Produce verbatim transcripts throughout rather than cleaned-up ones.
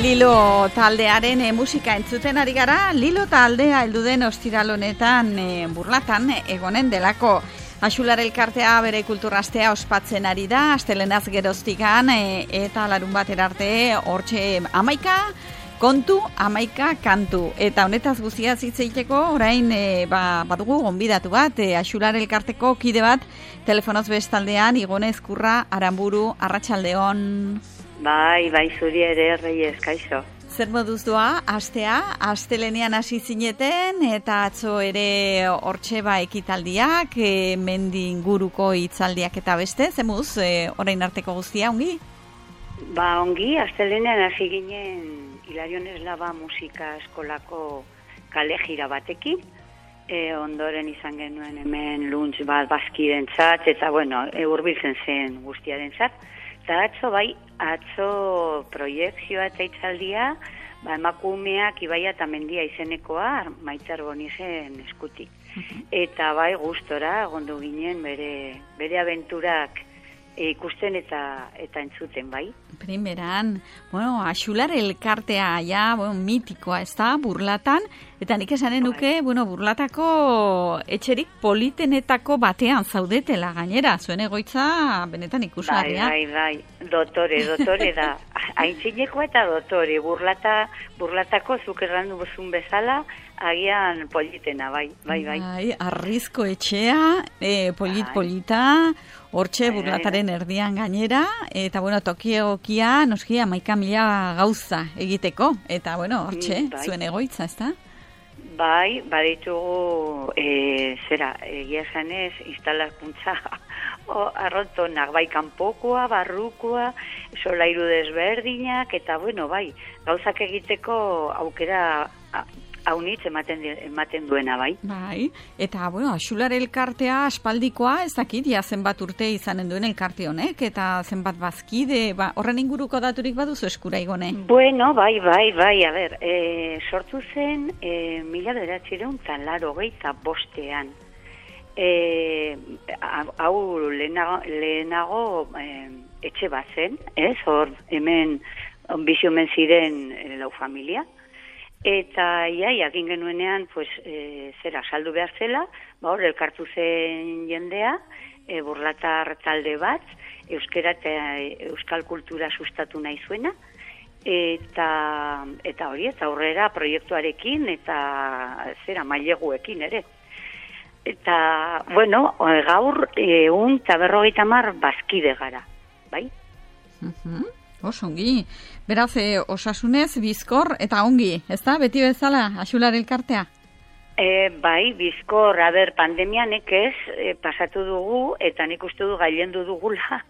Lilo taldearen e, musika entzuten ari gara. Lilo taldea heldu den ostiral honetan e, Burlatan egonen delako. Axular elkartea bere kulturastea ospatzen ari da, astelenaz geroztikan e, eta larun batera arte hortxe amaika kontu, amaika kantu. Eta honetaz guztiaz hitz egiteko orain e, ba, badugu gonbidatu bat, e, Axular elkarteko kide bat, telefonoz bestaldean, Igone Ezkurra, Aranburu, arratsaldeon. Bai, bai, zuri ere, Reyes, kaixo. Zer moduz doa, astea, astelenean hasi zineten, eta atzo ere hortxe ba ekitaldiak, e, mendi inguruko hitzaldiak eta beste, zemuz, e, orain arteko guztia, ongi? Ba, ongi, astelenean hasi ginen Hilarion Eslaba musika eskolako kale jira batekin, e, ondoren izan genuen hemen lunch bat bazkirentzat, eta bueno, e, hurbiltzen zen guztiarentzat. Eta atzo, bai, atzo proiekzioa eta hitzaldia, ba, emakumeak Ibaia eta Mendia izenekoa Maitzer Bonizen eskutik. Eta bai, gustora, egondu ginen bere, bere abenturak e, ikusten eta eta entzuten, bai. Primeran, bueno, Axular elkartea ja, bueno, mitikoa, ez da, Burlatan, eta nik esanen nuke, bueno, Burlatako etxerik politenetako batean zaudetela gainera, zuen egoitza benetan ikusgarria. Bai, bai, bai, dotore, dotore da, aintzinekoa eta dotore, Burlata, Burlatako zuk errandu bozun bezala, agian politena, bai, bai, bai. Bai, arrizko etxea, e, polit, bai. Polita, hortxe bai, Burlataren bai, erdian gainera, eta bueno, toki egokia, noski, amaika mila gauza egiteko, eta bueno, hortxe, bai, zuen egoitza, ez da? Bai, baditugu, e, zera, egia esanez, instalakuntza arrotonak, bai, kanpokoa, barrukoa, solairu desberdinak, eta bueno, bai, gauzak egiteko aukera haunitz ematen, ematen duena, bai. Bai, eta, bueno, Axular elkartea aspaldikoa, ez dakit, ja zenbat urte izanen duen elkarte honek, eta zenbat bazkide, ba, horren inguruko daturik baduzu eskura, Igone? Bueno, bai, bai, bai, a ber, e, sortu zen e, mila bederatziehun eta laurogeita bostean. E, hau lehenago, lehenago e, etxe bat zen, ez, hor, hemen, biziomen ziren e, lau familia, eta ia, jakin genuenean, pues, e, zera, saldu behar zela, ba, hor, elkartu zen jendea, e, Burlatar talde bat, euskera eta euskal kultura sustatu nahi zuena, eta, eta hori, eta aurrera proiektuarekin, eta zera, maileguekin ere. Eta, bueno, gaur, egun eta berrogeita hamar bazkide gara, bai? Uh-huh. Oso ongi. Beraz, e, osasunez, bizkor, eta ongi, ez da? Beti bezala, Axular elkartea? E, bai, bizkor, a ber, pandemianek ez, e, pasatu dugu, eta nik uste du gailendu dugula,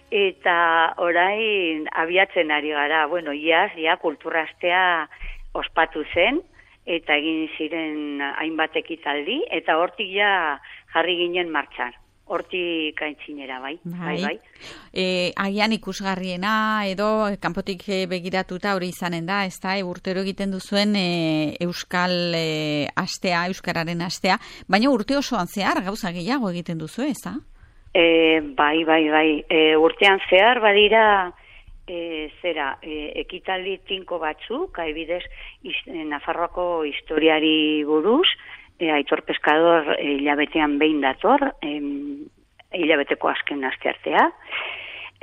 eta orain abiatzen ari gara. Bueno, iaz, ja, kulturastea ospatu zen, eta egin ziren hainbat ekitaldi, eta hortik ja jarri ginen martxan. Hortik aintzinera, bai. Bai, bai. E, agian ikusgarriena edo kanpotik begiratuta hori izanen da, ez da, e, urtero egiten duzuen e, euskal e, astea, euskararen astea, baina urte osoan zehar gauza gehiago egiten duzu, ez da? E, bai, bai, bai. E, urtean zehar badira e, zera, e, ekitaldi tinko batzuk, adibidez, Nafarroako historiari buruz, E, Aitor Pescador e, hilabetean behin dator, e, hilabeteko azken asteartea.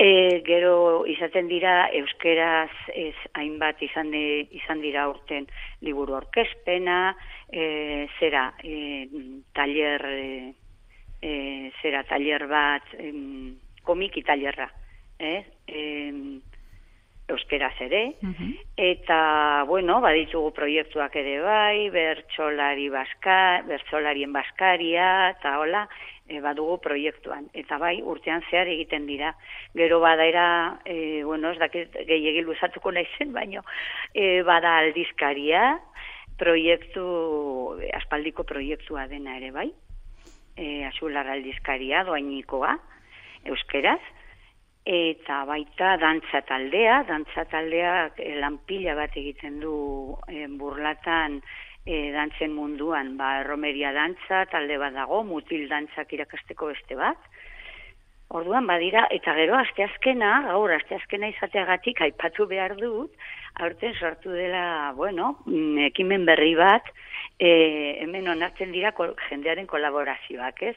E, gero izaten dira euskeraz ez hainbat izan, de, izan dira urten liburu aurkezpena, e, zera e, taller e, e, zera taller bat e, komiki tallerra, eh? E, euskeraz ere, uh-huh. Eta, bueno, baditugu proiektuak ere bai, bertsolari baska, bertsolarien baskaria, eta hola, e, badugu proiektuan. Eta bai, urtean zehar egiten dira. Gero badaera, e, bueno, ez dakit gehiegi luzatuko naizen, baino, e, bada aldizkaria, proiektu, aspaldiko proiektua dena ere bai, e, Axular aldizkaria, doainikoa, euskeraz, eta baita dantza taldea, dantza taldeak e, lanpila bat egiten du e, Burlatan e, dantzen munduan, ba, erromeria dantza talde bat dago, mutil dantzak irakasteko beste bat, Orduan badira, eta gero asteazkena, gaur asteazkena izateagatik aipatu behar dut, aurten sortu dela, bueno, ekimen berri bat, e, hemen onartzen dira kol, jendearen kolaborazioak, ez?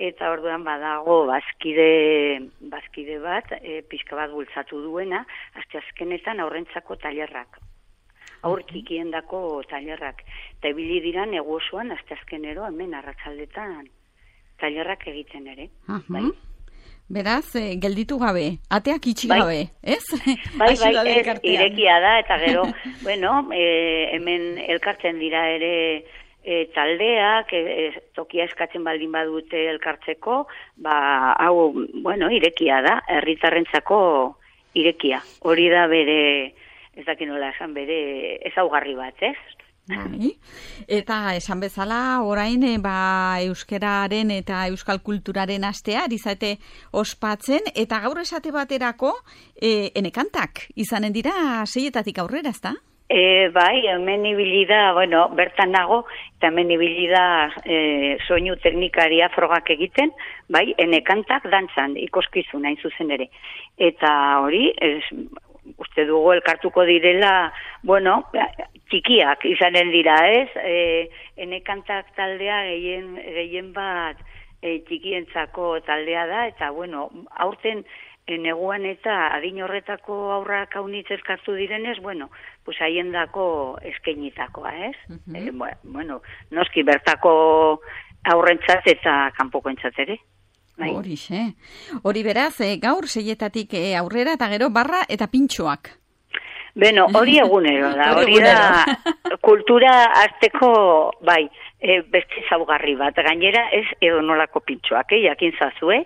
Eta orduan badago bazkide, bazkide bat, e, pixka bat bultzatu duena, asteazkenetan aurrentzako tailerrak. Aur txikiendako tailerrak. Eta ibili dira negu osoan asteazkenero hemen arratsaldetan tailerrak egiten ere. Uh-huh. Bai. Beraz, eh, gelditu gabe, ateak itxi bai. gabe, ez? Bai, bai, ez, irekia da, eta gero, bueno, e, hemen elkartzen dira ere e, taldeak, e, e, tokia eskatzen baldin badute elkartzeko, ba, hau, bueno, irekia da, herritarrentzako irekia. Hori da bere, ez dakit nola esan, bere ezaugarri bat, ez? Bai. Eta esan bezala, orain ba, euskararen eta euskal kulturaren astea, izate ospatzen, eta gaur esate baterako, e, enekantak izanen dira seietatik aurrera, ezta? E, bai, hemen ibili da, bueno, bertan nago, eta hemen ibili da e, soinu teknikaria frogak egiten, bai, enekantak dantzan, ikoskizun hain zuzen ere. Eta hori, ez, uste dugu elkartuko direla, bueno, txikiak izanen dira, ez? E, enekantak taldea gehien, gehien bat e, txikientzako taldea da, eta, bueno, aurten e, neguan eta adin horretako aurrak haunitz elkartu direnez, bueno, pues haien dako eskainitakoa, ez? Uh-huh. E, bueno, noski bertako aurrentzat eta kanpokoentzat ere. Bai. Hori, xe. Hori beraz, e, gaur seietatik e, aurrera eta gero barra eta pintxoak. Beno, hori egunero da, hori da kultura azteko, bai, e, beste zaugarri bat. Gainera ez edo nolako pintxoak, eh, jakin zazue,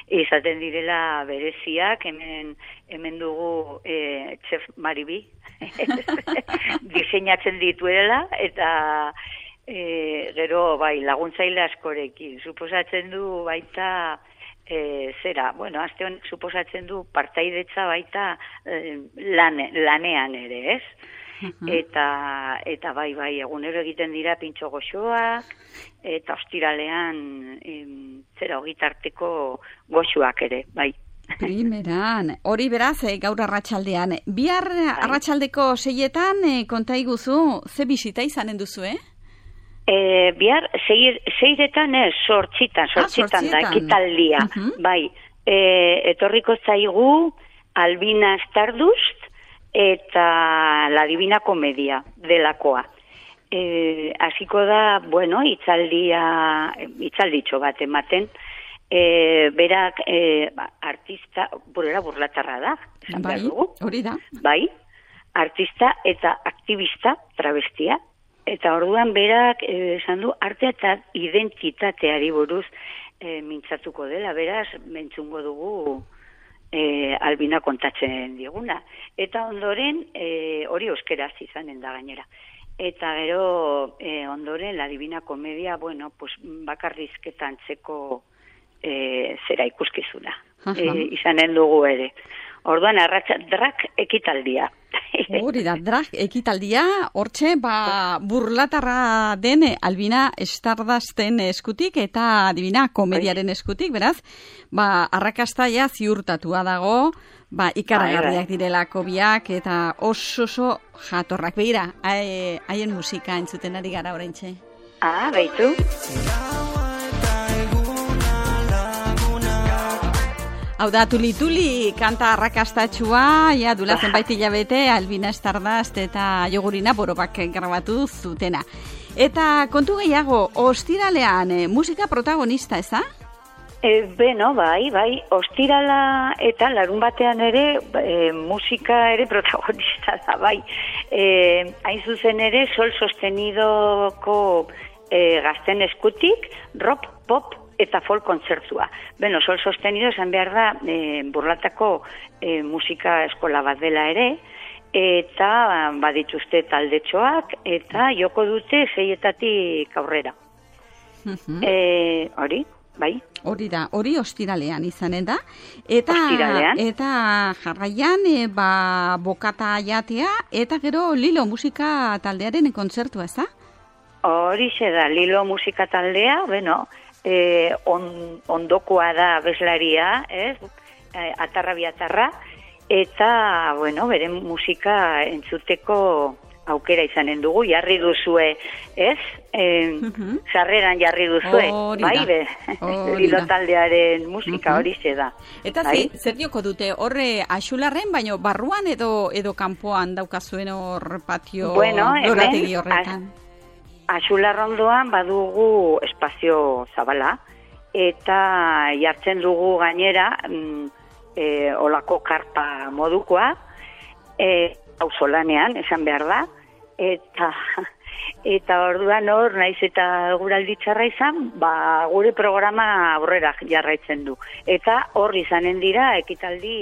izaten direla bereziak, hemen, hemen dugu e, Chef Maribi, diseinatzen dituela, eta e, gero, bai, laguntzaile askorekin, suposatzen du baita, E, zera, bueno, azte honek suposatzen du partaidetza baita e, lane, lanean ere, ez? Uh-huh. Eta, eta bai, bai, egunero egiten dira pintxo goxoak, eta ostiralean e, zera hogitarteko goxoak ere, bai. Primeran, hori beraz, e, gaur arratsaldean. Bihar bai. Arratsaldeko seietan, e, konta iguzu, ze bisita izanen duzu, eh? E, bihar, seir, seiretan ez, sortxitan, sortxitan ah, da, ekitaldia. Uh-huh. Bai, e, etorriko zaigu Albina Stardust eta La Divina Comedia delakoa. E, hasiko da, bueno, itzaldia, itzalditxo bat ematen, e, berak e, artista, burera burlatarra da. Bai, hori da. Bai, artista eta aktivista travestia. Eta orduan berak eh, esan du artea eta identitateari buruz eh, mintzatuko dela, beraz, mentzungo dugu eh, Albina kontatzen diguna. Eta ondoren, eh, hori euskeraz izanen da gainera. Eta gero, eh, ondoren, La Divina Comedia, bueno, pues, bakarrizketan txeko eh, zera ikuskizuna. Eh, izanen dugu ere. Orduan, arratsa drak ekitaldia. Hori da, drag ekitaldia, hortxe, ba, burlatarra den Albina Stardusten eskutik eta Divina Komediaren eskutik, beraz, ba, arrakasta ja ziurtatua dago, ba, ikaragarriak direlako biak eta oso oso jatorrak. Begira, haien musika entzuten ari gara oraintxe. Ah, baitu. Hau da, tuli-tuli, kanta arrakastatxua, ja, dula zenbait hilabete, Albina Stardust eta Jogurina borobak grabatu zutena. Eta kontu gehiago, ostiralean, eh, musika protagonista, eza? E, beno, bai, bai, ostirala eta larun batean ere, e, musika ere protagonista da, bai. E, hain zuzen ere, Sol Sostenidoko e, gazten eskutik, rock, pop, eta folk kontzertua. Beno, Sol Sostenido esan behar da e, burlatako e, musika eskola bat dela ere, eta badituzte taldetxoak, eta joko dute seietatik aurrera. Uh-huh. E, hori, bai? Hori da, hori ostiralean izanen da. Eta, ostiralean. Eta jarraian, e, ba, bokata jatea, eta gero Lilo musika taldearen kontzertua, ez da? Hori da, Lilo musika taldea, bueno, e, on, ondokoa da abeslaria, ez? E, atarra biatarra, eta, bueno, bere musika entzuteko aukera izanen dugu, jarri duzue, ez? E, uh-huh. Sarreran jarri duzue, bai, be, Lilo taldearen musika hori uh-huh. da. Eta bai? Zer dioko dute, horre Axularren, baino barruan edo edo kanpoan daukazuen hor patio bueno, lorategi horretan? Axularrondoan badugu espazio zabala, eta jartzen dugu gainera mm, e, olako karpa modukoa, e, auzolanean, esan behar da, eta eta orduan hor, naiz eta guraldi txarra izan, ba, gure programa aurrera jarraitzen du. Eta hor izanen dira ekitaldi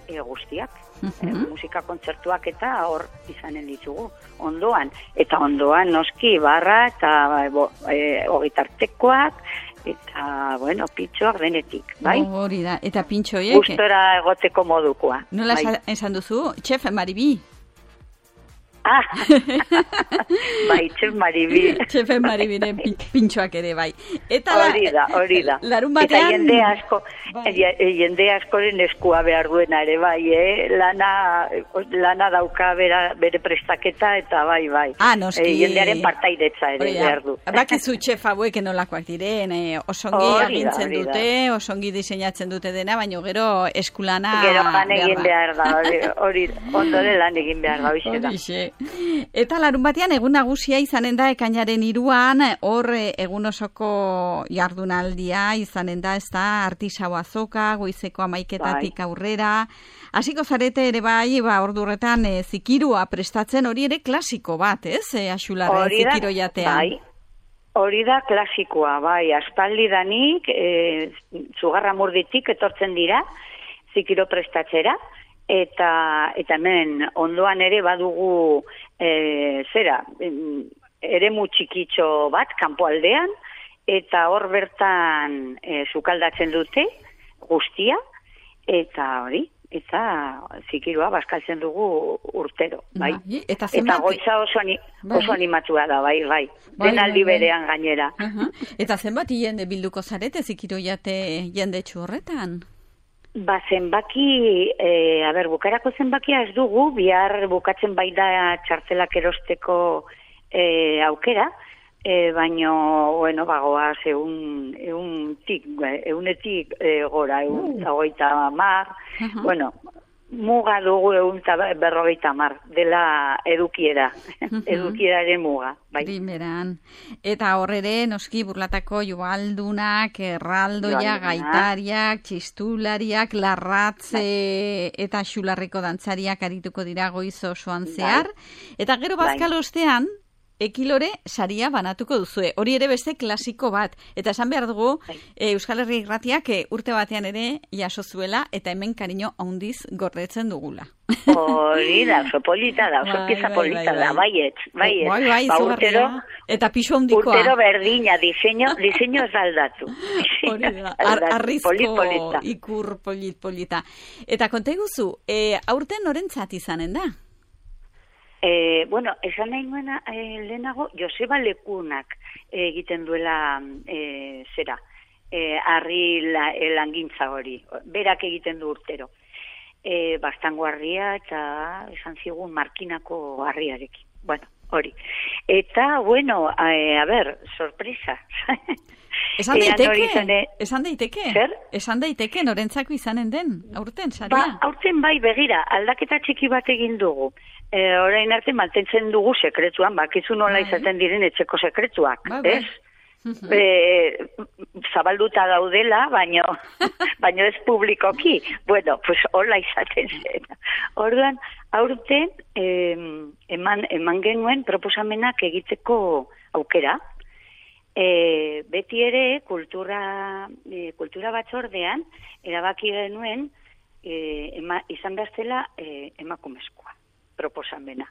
e, guztiak, uh-huh. e, musika kontzertuak eta hor izanen ditugu, ondoan. Eta ondoan noski barra eta e, ogitartekoak, eta, bueno, pintxoak denetik, bai? Hori da, eta pintxoiek... Gustora egoteko modukoa. Nola bai. Esan duzu, Txef Maribi? Ah, bai, Txef Maribi. Txef Maribiren pintxoak ere, bai. Eta hori da, hori da. Larun batean... Eta jende asko, bai. jende askoren eskua behar duena ere, bai, eh? Lana, lana dauka bera, bere prestaketa, eta bai, bai. Ah, noski. E, jendearen partairetza ere behar du. Bakizu Txef hauek nolakoak diren, eh? osongi agintzen dute, osongi diseinatzen dute dena, baina gero eskulana... Gero lan egin behar da, hori, ondore lan egin behar da, hori da. Eta larun batean egun nagusia izanen da ekainaren hiruan, hor egun osoko jardunaldia izanen da, ez da, artisau azoka, goizeko amaiketatik bai. Aurrera. Hasiko zarete ere bai, ba, ordurretan e, zikirua prestatzen, hori ere klasiko bat, ez, e, Axularren zikiro jatean. Bai. Hori da klasikoa, bai, aspaldi danik, e, Zugarra Murditik etortzen dira, zikiro prestatzera, eta eta hemen ondoan ere badugu e, zera, eremu txikitxo bat, kanpoaldean, eta hor bertan e, sukaldatzen dute guztia, eta hori, eta zikirua bazkaltzen dugu urtero, bai. Bai, eta eta goitza oso, ani, bai. oso animatua da, bai, bai. bai Denaldi bai, bai. berean gainera. Uh-huh. Eta zenbat jende bilduko zarete zikiro jate jende horretan? Ba, zenbaki, e, a ber, bukarako zenbakia ez dugu, bihar bukatzen bai da txartelak erosteko e, aukera, e, baino, bueno, bagoaz, egun, egun tik, egunetik e, gora, egun uh. goita mar, uh-huh. bueno, muga dugu egun berrogeita mar, dela edukiera, uh-huh. edukieraren muga. Bai. Primeran. Eta horrere, noski burlatako joaldunak, erraldoia, gaitariak, txistulariak, larratze bai. Eta Xularreko dantzariak arituko dira goiz osoan zehar. Bai. Eta gero bazkal ostean, ekilore saria banatuko duzue. Hori ere beste klasiko bat. Eta esan behar dugu, e, Euskal Herri Irratiak e, urte batean ere jaso zuela eta hemen kariño handiz gordetzen dugula. Hori da, oso polita da, oso pieza polita da, baiet, baiet. Bai, bai, ba, urtero, eta pisu handikoa. Urtero berdina, diseño, diseño ez aldatu. Hori da, Ar arrizko polit, ikur polit polita. Eta konta iguzu, e, aurten norentzat izanen da? E, bueno, esan nahi nuena e, lehenago, Joseba Lekunak e, egiten duela e, zera, e, harri la, e, langintza hori, berak egiten du urtero. E, Bastango harria eta esan zigun markinako harriarekin. Bueno, hori. Eta, bueno, a, a ber, sorpresa. Esan daiteke, zane... esan daiteke, Zer? esan daiteke norentzako izanen den, aurten, saria? Ba, aurten bai, begira, aldaketa txiki bat egin dugu. E, orain arte mantentzen dugu sekretuan, bakizu nola izaten diren etxeko sekretuak, ba, ba. ez? E, zabalduta daudela, baino, baino ez publikoki. Bueno, pues hola izaten zen. Orduan, aurten eh, eman, eman genuen proposamenak egiteko aukera. E, beti ere kultura, e, kultura batzordean erabaki genuen e, ema, izan behaztela e, emakumezkoa proposamena.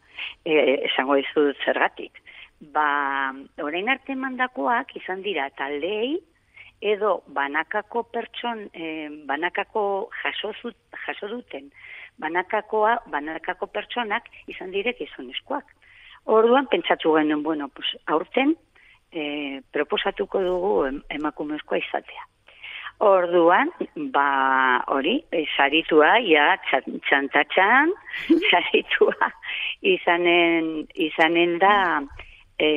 E, esango dizut zergatik. Ba, orain arte mandakoak izan dira taldeei edo banakako pertson, e, banakako jaso, zut, jaso duten banakakoa, banakako pertsonak izan direk gizonezkoak. Orduan pentsatu genuen, bueno, pues, aurten e, proposatuko dugu emakumezkoa izatea. Orduan, ba, hori, e, saritua, ja, txantatxan, saritua, izanen, izanen da, e,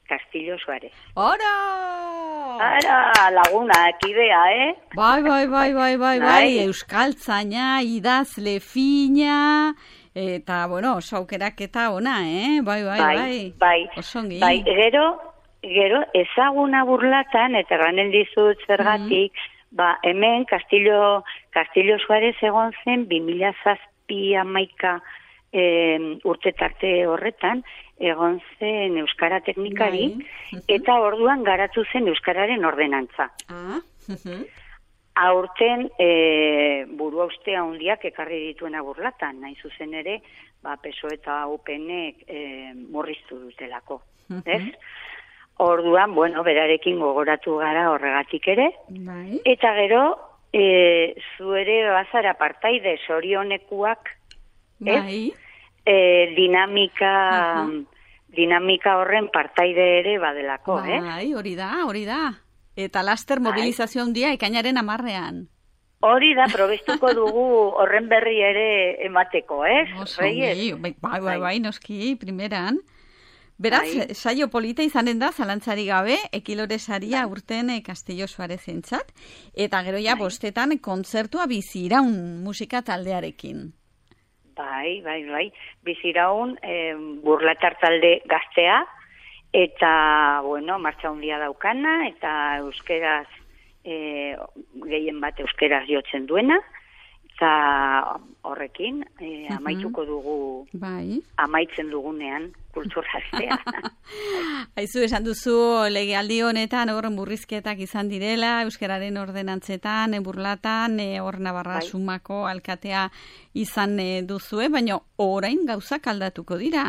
Castillo Suárez. Ora! Ara, laguna, kidea, eh? Bai, bai, bai, bai, bai, bai, euskaltzaina, idazle fina, eta, bueno, oso aukeraketa ona, eh? Bai, bai, bai. Bai, bai, osongi. Bai, gero, gero, ezaguna Burlatan, eta ranen dizut zergatik, mm-hmm. ba, hemen Castillo, Castillo Suárez egon zen, bi mila zazpi hamaika e, urte tarte horretan, egon zen Euskara teknikari, bai. Eta orduan garatu zen Euskararen ordenantza. Ah, uh-huh. Aurten e, burua ustea handiak ekarri dituena Burlatan, nahi zuzen ere, ba, P S O E eta U P N-ek e, murriztu dutelako. Uh-huh. Ez? Orduan, bueno, berarekin gogoratu gara horregatik ere. Bai. Eta gero, e, zu ere bazara partaide sorionekuak, bai. E, dinamika, uh-huh. dinamika horren partaide ere badelako, bai, eh? Bai, hori da, hori da. Eta laster mobilizazio handia ekainaren hamarrean. Hori da, probestuko dugu horren berri ere emateko, ez? Oso, bai, bai, bai, bai, noski, primeran. Beraz, bai. Saio polita izanen da, zalantzari gabe, Ekilore saria bai. Urten Castillo Suárez entzat, eta gero ja bai. Bostetan kontzertua biziraun musika taldearekin. Bai, bai, bai, biziraun eh, Burlatar talde gaztea, eta, bueno, martxa handia daukana, eta euskeraz, e, gehien bat euskeraz jotzen duena, eta horrekin, e, amaituko dugu, bai. Amaitzen dugunean, kulturaztea. Haizu, esan duzu, legealdi honetan, hor murrizketak izan direla, euskararen ordenantzetan, Burlatan, hor e, Navarra bai. Sumako alkatea izan e, duzue, baina orain gauzak aldatuko dira.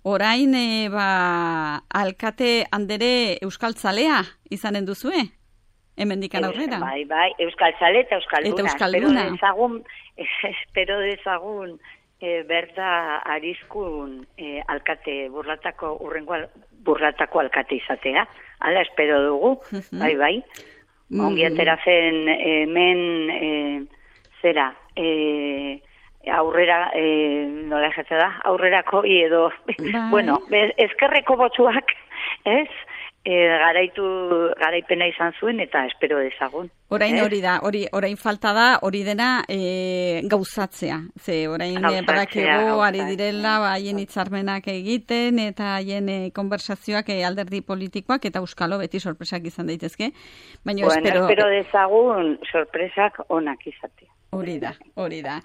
Orain, e, ba, alkate handere euskaltzalea izanen duzue? Hemendikan aurrera. Bai, bai, euskaltzale eta euskalduna. Eta euskalduna. Espero dezagun, espero dezagun e, berda arizkun e, alkate burlatako, urrengo burlatako alkate izatea. Hala, espero dugu, uh-huh. bai, bai. Mm. Ongi atera zen hemen e, zera, e, aurrera, e, nola esate da, aurrerako edo, bai. Bueno, ezkerreko botsuak, ez? E, garaitu garaipena izan zuen eta espero dezagun. Orain hori da, hori orain falta da, hori dena e, gauzatzea. Ze orain badakigu ari direla haien hitzarmenak egiten eta haien e, konversazioak e, alderdi politikoak eta euskalo beti sorpresak izan daitezke. Baina bueno, espero espero dezagun sorpresak onak izatea. Hori da, hori da.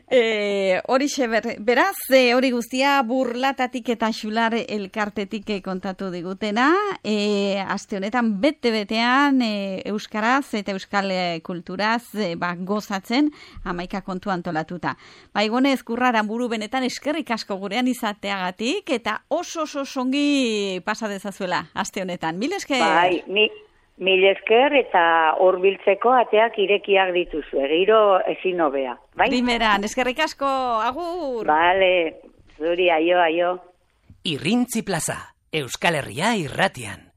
E, hori ber, beraz, e, hori guztia Burlatatik eta Xular elkartetik kontatu digutena. E, aste honetan bete-betean e, euskaraz eta euskal kulturaz e, ba, gozatzen hamaika kontu antolatuta. Ba, Igone Ezkurraran buru benetan eskerrik asko gurean izateagatik eta oso oso songi pasa dezazuela aste honetan. Mil esker. Bai, mi... Mil esker eta hurbiltzeko ateak irekiak dituzu, giro ezin hobea. Bai? Primeran, eskerrik asko, agur! Bale, zuri, aio, aio. Irrintzi plaza, Euskal Herria irratian.